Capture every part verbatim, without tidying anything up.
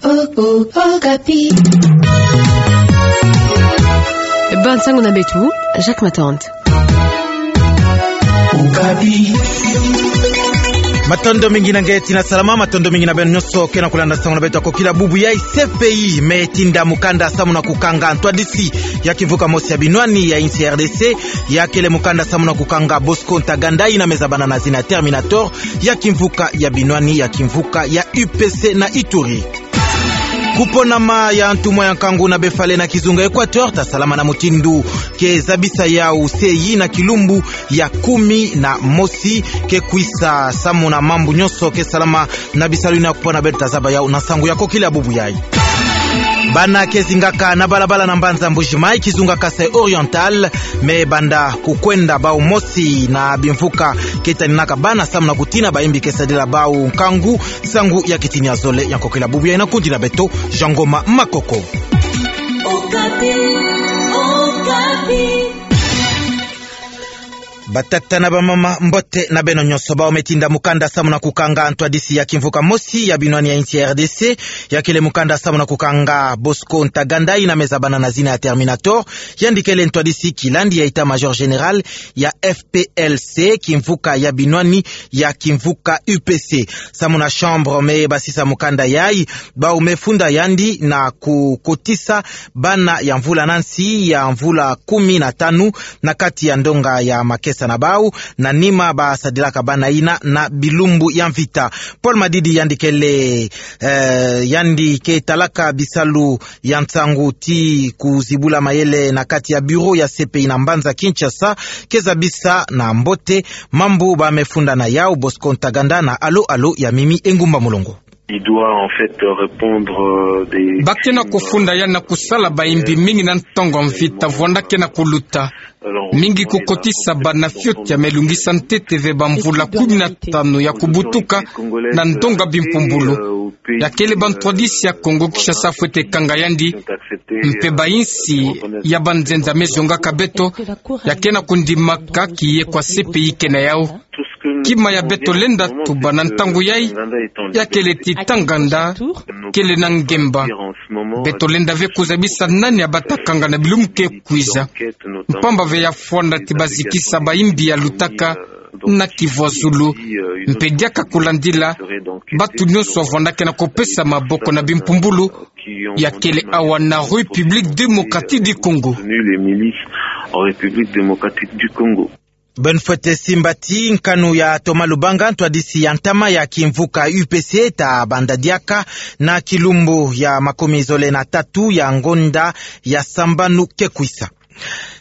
Oh, oh, Okapi. Ba nsangu na beto, Jacques Matante. Matondo mingi na nge ti na salama, matondo mingi na beno nyonso ke na kulanda nsangu na beto ya kokila bubu yayi. C P I me tinda mukanda samu na kukanga ntwadisi ya kimvuka mosi ya binwani ya insi R D C, ya kele mukanda samu na kukanga Bosco Ntaganda, yina me zabana na zina Terminator, ya kimvuka ya binwani ya kimvuka ya U P C na Ituri. Kuponama ya ntumwa ya nkangu na befale na kizunga Equateur ta salama na mutindu ke zabisa yau se yi na kilumbu ya kumi na mosi ke kwisa. Samu na mambu nyonso ke salama na bisalu yina, kupona beto ta zaba yau na nsangu ya kokila bubu yayi. Bana ke zingaka na balabala na mbanza Mbuji-Mayi, kizunga Kasaï Oriental, me banda kukwenda bau mosi na bimvuka ke taninaka bana samu na kutina bayimbi ke sadila bau nkangu. Nsangu ya kitini ya zole ya nkokila bubu yayi na kundi na beto, Jean Ngoma Makoko. Okapi, Okapi. Batata na bamama, mbote na beno nyonso. Bau me tinda mukanda samu na kukanga ntwadisi ya kimvuka mosi ya binwani ya insi ya R D C, ya kele mukanda samu na kukanga Bosco Ntaganda, yina me zabana na zina ya Terminator, yandi kele ntwadisi kilandi ya état-major général ya F P L C, kimvuka ya binwani ya kimvuka U P C. Samu na chambre me basisa mukanda yayi, bau me funda yandi na kukotisa bana ya mvula na nsi ya mvula kumi na tanu na kati ya ndonga ya makesa na bau, na nima basadilaka bana yina na bilumbu ya mvita. Paul Madidi yandi kele, eh, yandi ke talaka bisalu ya nsangu ti kuzibula mayele na kati ya bureau ya C P I na mbanza Kinshasa, ke zabisa na mbote mambu ba me funda na yau Bosco Ntaganda na Alo Alo ya Mimi Engumba Mulongo. Il doit en fait répondre, euh, des... Ba ke na kufunda ya na kusala bayimbi mingi na ntongo mvita, vwanda ke na kuluta. Mingi kukotisa bana fioti ya me lungisa ntete ve bamvula kumi na tanu ya kubutuka na ndonga bimpumbulu. Ya kele bantwadisi ya Kongo Kinshasa fwete kanga yandi, mpe bayinsi ya banzenza me zongaka beto, ya ke na kundimaka kiye kwa C P I ke na yau. Kima ya beto lenda tuba na ntangu yayi, ya kele ti tanganda kele na ngemba. Beto lenda ve kuzabisa nani ya bata kanga na bilumbu ke kwiza. Mpamba ve ya fwanda ti bazikisa bayimbi ya lutaka na kivwazulu. Mpe diaka kulandila, batu nyonso vwanda ke na kupesa maboko na bimpumbulu ya kele awa na République Démocratique du Congo. Les milices en République Démocratique du Congo. Beno fwete simba ti nkanu ya Thomas Lubanga, ntwadisi ya ntama ya kimvuka U P C, ta banda diaka na kilumbu ya makumi zole na tatu ya ngonda ya sambanu ke kwisa.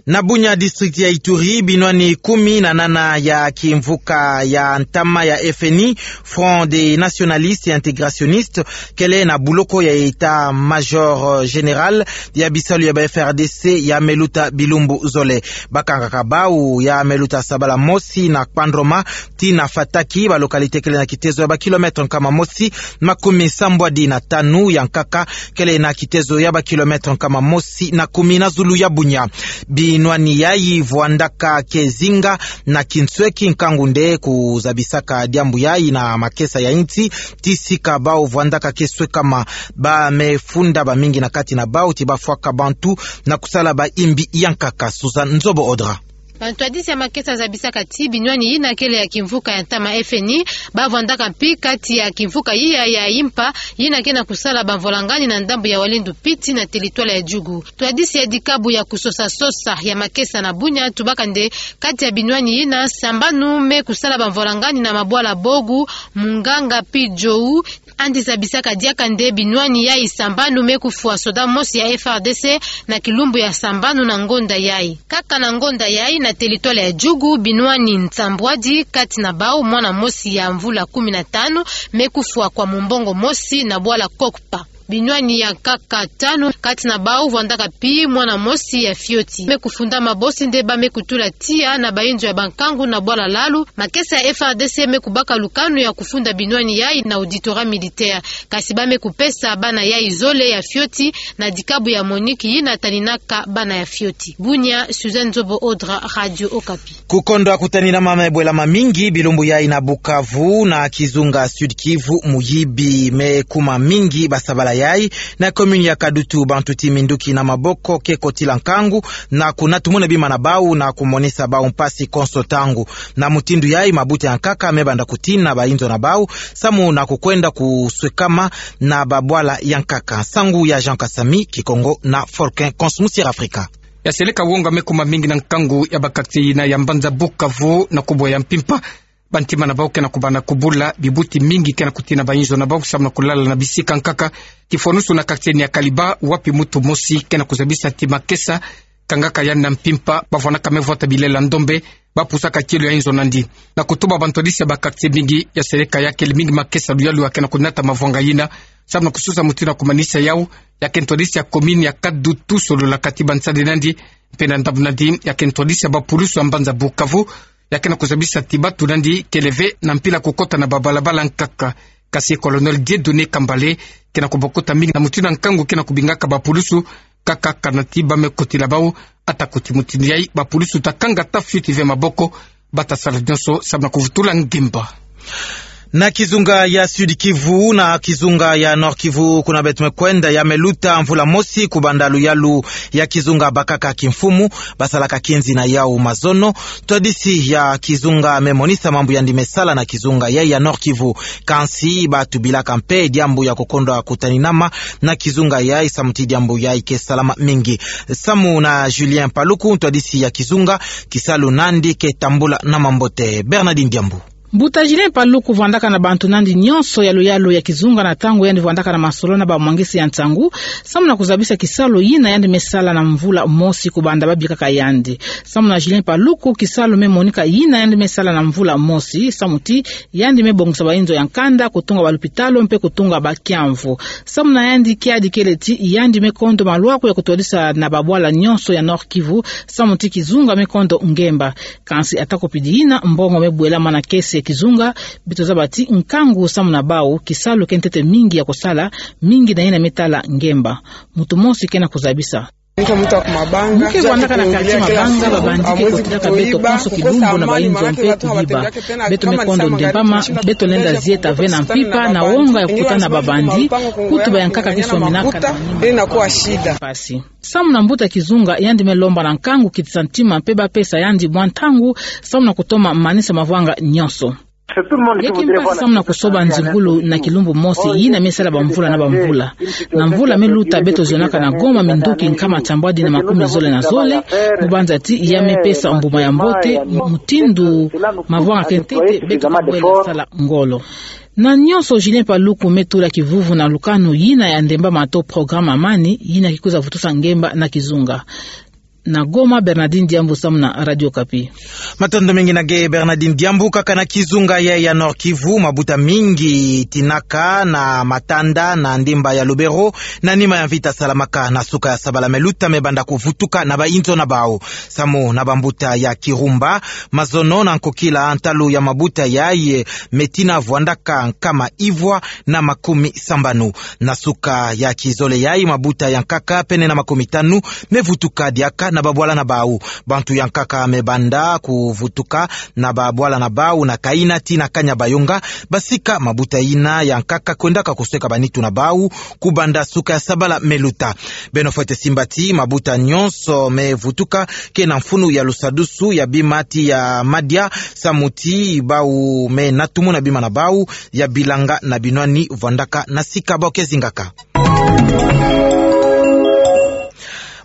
Na Bunia, district ya Ituri, binwani kumi na nana ya kimvuka ya ntama ya F N I, Front des Nationalistes et Intégrationnistes, kele na buloko ya état-major général ya bisalu ya ba F R D C ya me luta bilumbu zole. Bakangaka bau ya me luta sabala mosi na Kpandroma tii na Fataki, ba localité kele na kitezo ya ba kilomètre nkama mosi makumi sambwadi na tanu, ya nkaka kele na kitezo ya ba kilomètre nkama mosi na kumi na zulu ya Bunia. Binwani yayi vwandaka ke zinga na kinsweki, nkangu nde kuzabisaka diambu yayi na makesa ya insi, ti sika bau vwandaka ke swekama. Ba me funda bamingi na kati na bau ti bafwaka bantu na kusala bayimbi ya nkaka. Suzanne Nzobo Audra. Bantwadisi ya makesa zabisaka ti binwani yina kele ya kimvuka ya ntama F N I, ba vwandaka mpi kati ya kimvuka yiya ya impa, yina ke na kusala bamvwalangani na ndambu ya Walendu Piti na territoire ya Djugu. Ntwadisi ya dikabu ya kusosa-sosa ya makesa na Bunia tubaka nde kati ya binwani yina, sambanu me kusala bamvwalangani na mabwala Bogu, Munganga mpi Djou. Yandi zabisaka diaka nde binwani yayi sambanu me kufwa soda mosi ya F R D C na kilumbu ya sambanu na ngonda yayi. Kaka na ngonda yayi, na territoire ya Djugu, binwani nsambwadi, kati na bau mwana mosi ya mvula kumi na tanu, me kufwa kwa mumbongo mosi na bwala Kokpa. Binwani ya nkaka tanu, kati na bau vwandaka mpi mwana mosi ya fioti, me kufundama, bosi nde ba me kutula tiya na bayinzo ya bankangu na bwala Lalu. Makesa ya F R D C me kubaka lukanu ya kufunda binwani yayi na auditorat militaire. Kasi ba me kupesa bana yayi zole ya fioti na dikabu ya Monique yina taninaka bana ya fioti. Bunia, Suzanne Nzobo Audra, Radio Okapi. Kukondwa kutanina ma me bwela mamingi bilumbu yayi na Bukavu, na kizunga Sud-Kivu, muyibi me kuma mingi basabala yayi, na commune ya Kadutu, bantu ti minduki na maboko ke kotila nkangu na kunatumuna bima na bau na kumonisa bau mpasi konso ntangu. Na mutindu yayi, mabuta ya nkaka me banda kutina bainzo na bau, samu na kukwenda kuswekama na babwala ya nkaka. Nsangu ya Jean Kasami, Kikongo na Folkin Kons Musier Afrika. Ya seleka wonga me kuma mingi na nkangu ya ba quartier yina ya mbanza Bukavu na kubwa ya mpimpa. Bantima na bau ke na kubanda kubula, bibuti mingi ke na kutina bainzo na bau samu na kulala na bisika nkaka. Kifonusu na quartier ni ya Kaliba, wapi mutu mosi ke na kuzabisa ti makesa kangaka yandi na mpimpa, bavwandaka me vwata bilela ndombe, bapusaka kielo ya inzo nandi. Na kutuba bantwadisi ya ba quartier mingi, ya seleka ya kele mingi makesa luyalu ya ke na kunata mavwanga yina, samu na kususa mutindu ya kumanisa yau. Ya ke ntwadisi ya commune ya Kadutu, solola kati bansadi nandi, mpe na ndambu nandi, ya ke ntwadisi ya bapulusu ya mbanza Bukavu, ya ke na kuzabisa ti batu nandi kele ve na mpila kukota na babalabala nkaka. Kasi Colonel Dieudonné Kambale ke na kubokuta mingi na mutindu ya nkangu ke na kubingaka bapulusu, kaka kana ti ba me kotila bau. Ata kuti mutindu yayi, bapulusu ta kanga ta fioti ve maboko, bata sala nyonso samu na kuvutula ngemba. Na kizunga ya Sud-Kivu na kizunga ya Nord-Kivu, kuna beto me kwenda, ya me luta mvula mosi kubanda luyalu ya kizunga bakaka kimfumu, basalaka kinzi na yau mazono. Ntwadisi ya kizunga me monisa mambu yandi me sala na kizunga yayi ya Nord-Kivu. Kansi batubilaka mpe diambu ya kukondwa kutaninama na kizunga yayi, samu ti diambu yayi ke salama mingi. Samu na Julien Paluku, ntwadisi ya kizunga, kisalu nandi ke tambula na mambote. Bernardine Diambu. Mbuta Julien Paluku vwandaka na bantu nandi nyonso ya luyalu ya kizunga na ntangu yandi vwandaka na masolo na bamwangisi ya nsangu, samu na kuzabisa kisalu yina yandi me sala na mvula mosi kubanda babikaka yandi. Samu na Julien Paluku, kisalu me monika yina yandi me sala na mvula mosi, samu ti yandi me bongisa bainzo ya nkanda, kutunga balupitalu, mpe kutunga bakiamvu. Samu na yandi, kiadi kele ti yandi me kondo malwaku ya kutwadisa na babwala nyonso ya Nord-Kivu, samu ti kizunga me kondo ngemba. Kansi ata kupidi yina, mbongo me bwela mana kesi ya kizunga. Beto zaba ti nkangu samu na bau, kisalu ke ntete mingi ya kusala, mingi na yina me tala ngemba. Mutu mosi ke na kuzabisa. Mu ke vwandaka na quartier Mabanga, ba bandit ke kotilaka beto konso kilumbu na bainzo mpe kuyiba. Beto me kondo ndembama, beto lenda zieta ve na mpimpa na wonga ya kukutana na ba bandit, kutu ba ya nkaka ke sominaka na manima mpasi. Samu na mbuta kizunga, yandi me lomba na nkangu kitisa ntima mpe bapesa yandi mwa ntangu, samu na kutoma manisa mavwanga nyonso. Yeke mpasi samu na kusoba nzingulu na kilumbu mosi yina me sala bamvula na bamvula. Na mvula me luta beto zionaka na Goma minduki nkama tiambwadi na makumi zole na zole, mu banza ti ya me pesa mbuma ya mbote, mutindu mavwanga ke ntete beto ke bwela sala ngolo. Na nyonso Julien Paluku me tula kivuvu na lukanu yina ya ndembama to programme Amani, yina ke kwiza vutusa ngemba na kizunga. Na Goma, Bernardine Diambu samu na Radio Okapi. Matondo mingi na ge Bernardine Diambu. Kaka na kizunga yayi ya Nord-Kivu, mabuta mingi tinaka na matanda na ndimba ya Lubero, na nima ya mvita salamaka na suka ya sabala me luta, me banda kuvutuka na bainzo na bau. Samu na bambuta ya Kirumba, mazono na nkokila ntalu ya mabuta yayi me tina vwandaka nkama ivwa na makumi sambanu. Na suka ya kizole yayi, mabuta ya nkaka pene na makumi tanu me vutuka diaka na babwala na bau. Bantu ya nkaka me banda kuvutuka na babwala na bau na Kaina tii na Kanyabayonga, basika mabuta yina ya nkaka kwendaka kusweka banitu na bau kubanda suka ya sabala me luta. Beno fwete simba ti mabuta nyonso me vutuka ke na mfunu ya lusadusu ya bima ti ya madia, samu ti bau me natumuna bima na bau ya bilanga na binwani vwandaka na sika bau ke zingaka.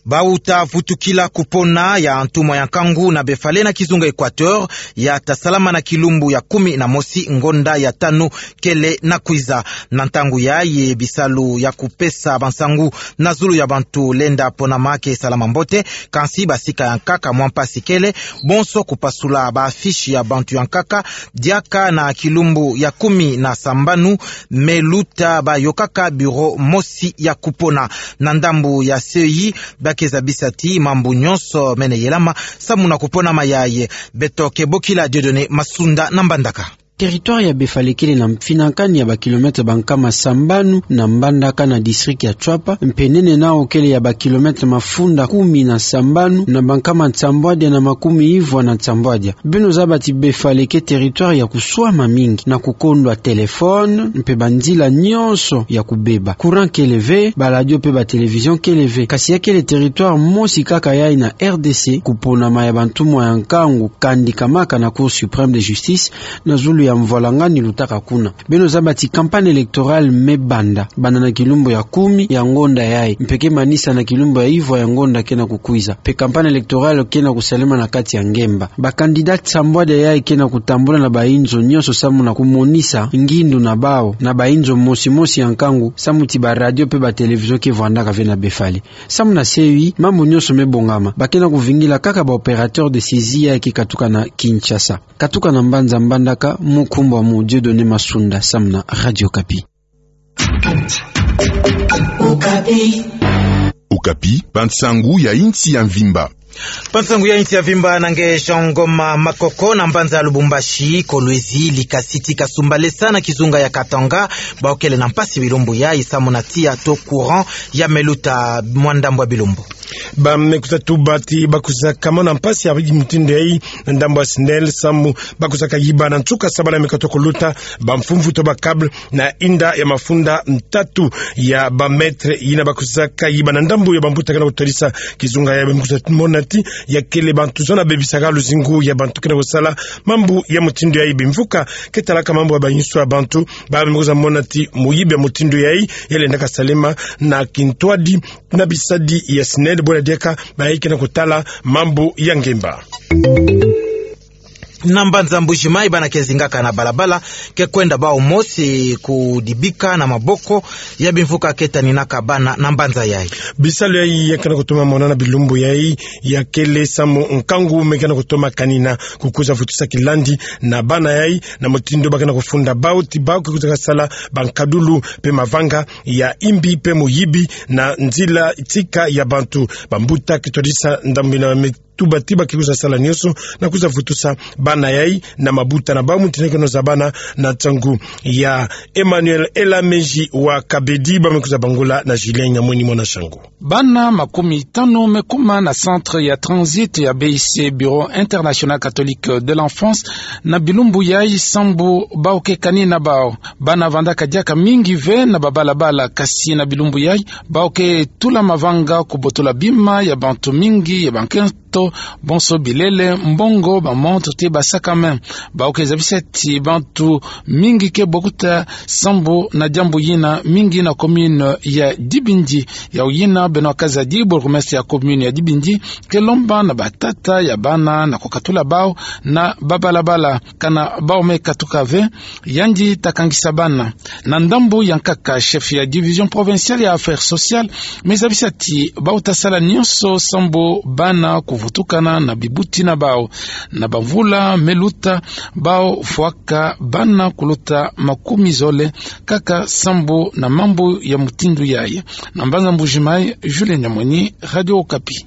Bau ta vutukila kupona ya ntumwa ya nkangu na befale na kizunga Equateur, ya ta salama na kilumbu ya kumi na mosi ngonda ya tanu kele na kwiza. Na ntangu yayi, bisalu ya kupesa bansangu na zulu ya bantu lenda ponama ke salama mbote, kansi basika ya nkaka mwa mpasi kele, bonso kupasula ba affiche ya bantu ya nkaka, diaka na kilumbu ya kumi na sambanu me luta bayokaka bureau mosi ya kupona. Na ndambu ya C E I, ba ke zabisa ti mambu nyonso mene yelama samu na kuponama yayi. Beto ke bokila Dieudonné Masunda na Mbandaka. Territoire ya Befale kele na mfinankani ya ba kilomètre bankama sambanu na Mbandaka na district ya Tshuapa, mpe nene nao kele ya ba kilomètre mafunda kumi na sambanu na bankama nsambwadia na makumi ivwa na nsambwadia. Beno zaba ti Befale ke territoire ya kuswama mingi, na kukondwa téléphone, mpe banzila nyonso ya kubeba. Courant kele ve, ba radio mpe ba télévision kele ve. Kasi ya kele territoire mosi kaka yai na R D C kuponama ya bantumwa ya nkangu kandikamaka na Cour suprême de justice na zulu ya mvwalangani lutaka kuna. Beno zaba ti campagne électorale me banda, banda na kilumbu ya kumi ya ngonda yai, mpe ke manisa na kilumbu ya ivwa ya ngonda ke na kukwiza. Mpe campagne électorale ke na kusalema na kati ya ngemba. Ba candidat sambwadia yai ke na kutambula na bainzo nyonso samu na kumonisa ngindu na bau na bainzo mosi mosi ya nkangu, samu ti ba radio mpe ba télévision ke vwandaka ve na Befale. Samu na seyi, mambu nyonso me bongama. Ba ke na kuvingila kaka ba opérateur de saisie yai ke katuka na Kinshasa. Katuka na mbanza Mbandaka, mukumbw'amu Dieudonné Masunda, samu na Radio Okapi. Okapi, bansangu ya insi ya mvimba. Bansangu ya insi ya mvimba na nge Jean Ngoma Makoko. Na mbanza Lubumbashi, Kolwezi, Likasiti, Kasumbalesa na kizunga ya Katanga, bau kele na mpasi bilumbu yai samu na tiya to courant ya me luta mwa ndambu ya bilumbu. Ba me kwiza tuba ti ba kwizaka mona mpasi ya mutindu yai na ndambu ya SNEL samu ba kwizaka yiba na nsuka sabala me katoka kuluta ba mfumvu to ba câble na inda ya mafunda tatu ya ba mètre yina ba kwizaka yiba na ndambu ya bambuta ke na kutadisa kizunga yai. Ba me kwiza mona ti ya kele bantu zona bebisaka luzingu ya bantu ke na kusala mambu ya mutindu yai. Bimvuka ke talaka mambu ya bainso ya bantu, ba me kwiza mona ti muyibi ya mutindu yai ya lendaka salema na kintwadi na bisadi ya SNEL, bwela diaka bayi ke na kutala mambu ya ngemba. Na mbanza Mbuji-Mayi, bana ke zingaka na balabala ke kwenda bau mosi kudibika na maboko ya bimvuka ke taninaka bana na mbanza yai. Bisalu yai ya ke na kutoma mona na bilumbu yai ya kele samu nkangu me ke na kutoma kanina, kukwiza vutusa kilandi na bana yai na mutindu ba ke na kufunda bau ti bau ke kwizaka sala bankadulu mpe mavanga ya imbi mpe muyibi na nzila tika ya bantu. Bambuta ke twadisa ndambu yina me tuba ti ba ke kwiza sala nyonso na kwiza vutusa bana yai na mabuta na bau. Mutindu ke na zabana na nsangu ya Emmanuel Elameji wa Kabedi, ba me kwiza bangula na Julien Nyamweni mwana Shangu. Bana makumi tanu me kuma na centre ya transit ya B I C, Bureau International Catholique de l'Enfance, na bilumbu yai sambu bau ke kani na bau. Bana vandaka diaka mingi ve na babalabala, kasi na bilumbu yai bau ke tula mavanga, kubotola bima ya bantu mingi ya bankento, bonso bilele, mbongo, bamontre te basakame. Bau ke zabisa ti bantu mingi ke bokuta sambu na diambu yina, mingi na commune ya Dibindi. Yau yina, Benoît Kazadi, bourgmestre ya commune ya Dibindi, ke lomba na batata ya bana na kukatula bau na babalabala, kana bau me katuka ve, yandi ta kangisa bana. Na ndambu ya nkaka, chef ya division provinciale ya affaires sociales me zabisa ti bau ta sala nyonso sambu bana kuvutukana na bibuti na bau. Na bamvula me luta, bau fwaka bana kuluta makumi zole kaka sambu na mambu ya mutindu yai. Na mbanza Mbuji-Mayi, Julien Nyamweni, Radio Okapi.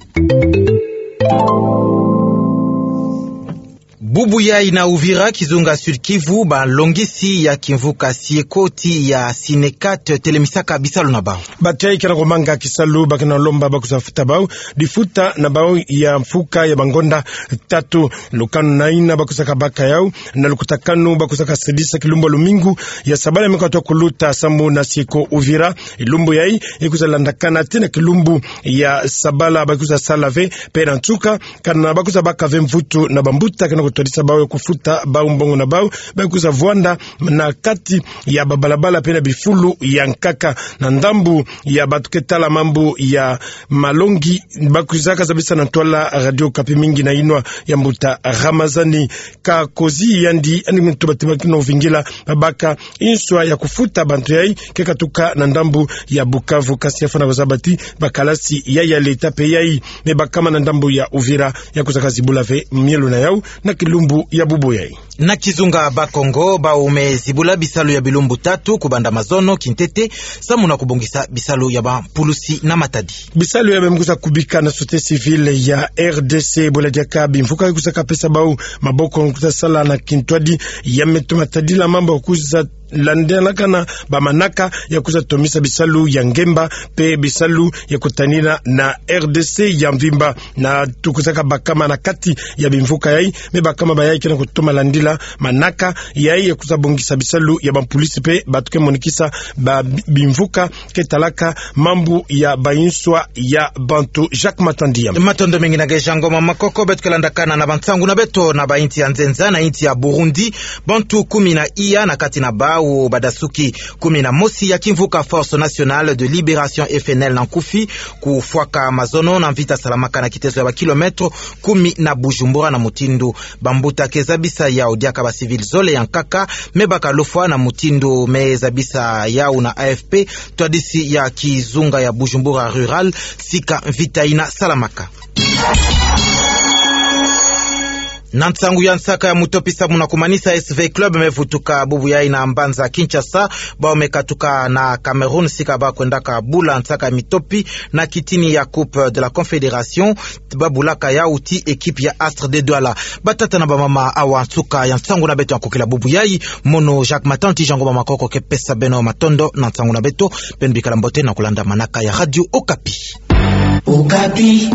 Bubu yai na Uvira, kizunga Sud-Kivu, balongisi ya kimvuka Sieko ti ya Synecat telemisaka bisalu na bau. Bato yai ke na kumanga kisalu, ba ke na lomba ba kwiza futa bau difuta na bau ya mfuka ya bangonda tatu. Lukanu na yina ba kwizaka baka yau, na lukutakanu ba kwizaka sadisa kilumbu ya lumingu ya sabala me katoka kuluta sambu na Sieko Uvira. Lumbu yai e kwiza landakana tii na kilumbu ya sabala, ba kwiza sala ve. Mpe na nsuka, kana ba kwiza baka ve mvutu na bambuta ke na kutwadisa bau ya kufuta bau mbongo na bau, ba kwiza vwanda na kati ya babalabala mpe na bifulu ya nkaka. Na ndambu ya bato ke tala mambu ya malongi, ba kwizaka zabisa na ntwala Radio Okapi mingi na yinwa ya mbuta Ramazani Kakozi, yandi, yandi muntu ba tibaki na uvingila ba baka inswa ya kufuta bantu yai ke katuka na ndambu ya Bukavu. Kasi ya fwana kuzaba ti bakalasi yai ya leta mpe yai me bakama na ndambu ya Uvira ya kwizaka zibula ve mielo na yau na kilumbu ya bubu yai. Na kizunga Bas-Congo, bau me zibula bisalu ya bilumbu tatu kubanda mazono kintete, samu na kubongisa bisalu ya bampulusi na matadi. Bisalu ya bemkusa kubika na société civile ya R D C, bula diaka bimvuka ya kusaka pesa bau maboko kusa sala na kintwadi, ya me toma tadila mambu ya kusa landalakana bamanaka ya kusa tomisa bisalu ya ngemba, pe bisalu ya kutanina na R D C ya mvimba. Na tukusaka bakama na kati ya bimvuka yai, me bakama bayai ke na kutoma landila manaka yai ya kusa bongisa bisalu ya bampulusi pe bantu ke monikisa ba bi-, bimvuka ke talaka mambu ya banswa ya bantu. Jacques Matandi ya. Matondo mingi na nge Jean Ngoma Makoko. Beto ke landakana na bansangu na beto na bainsi ya nzenza. Na insi ya Burundi, bantu kumi na iya, na kati na bau badasuki kumi na mosi ya kimvuka Force Nationale de Libération, F N L na nkufi, kufwaka mazono na mvita salamaka na kitezo ya bakilomètre kumi na Bujumbura, na mutindu bambuta ke zabisa yau diaka bacivil zole ya nkaka me bakalufwa, na mutindu me zabisa yau na A F P, twadisi ya kizunga ya Bujumbura rural, sika mvita ina salamaka. Na nsangu ya nsaka ya mutopi, samu na kumanisa S V Club me vutuka bubu yai na mbanza Kinshasa, bau me katuka na Cameroun, sika ba kwendaka bula nsaka ya mitopi na kitini ya Coupe de la Confédération, ba bulaka yau ti équipe ya Astre de Douala. Batata na bamama, awa nsuka ya nsangu na beto ya nkokila bubu yai. Mono Jacques Matandi, Jean Ngoma Makoko ke pesa beno matondo na nsangu na beto. Beno bikala mbote na kulanda manaka ya Radio Okapi. Okapi.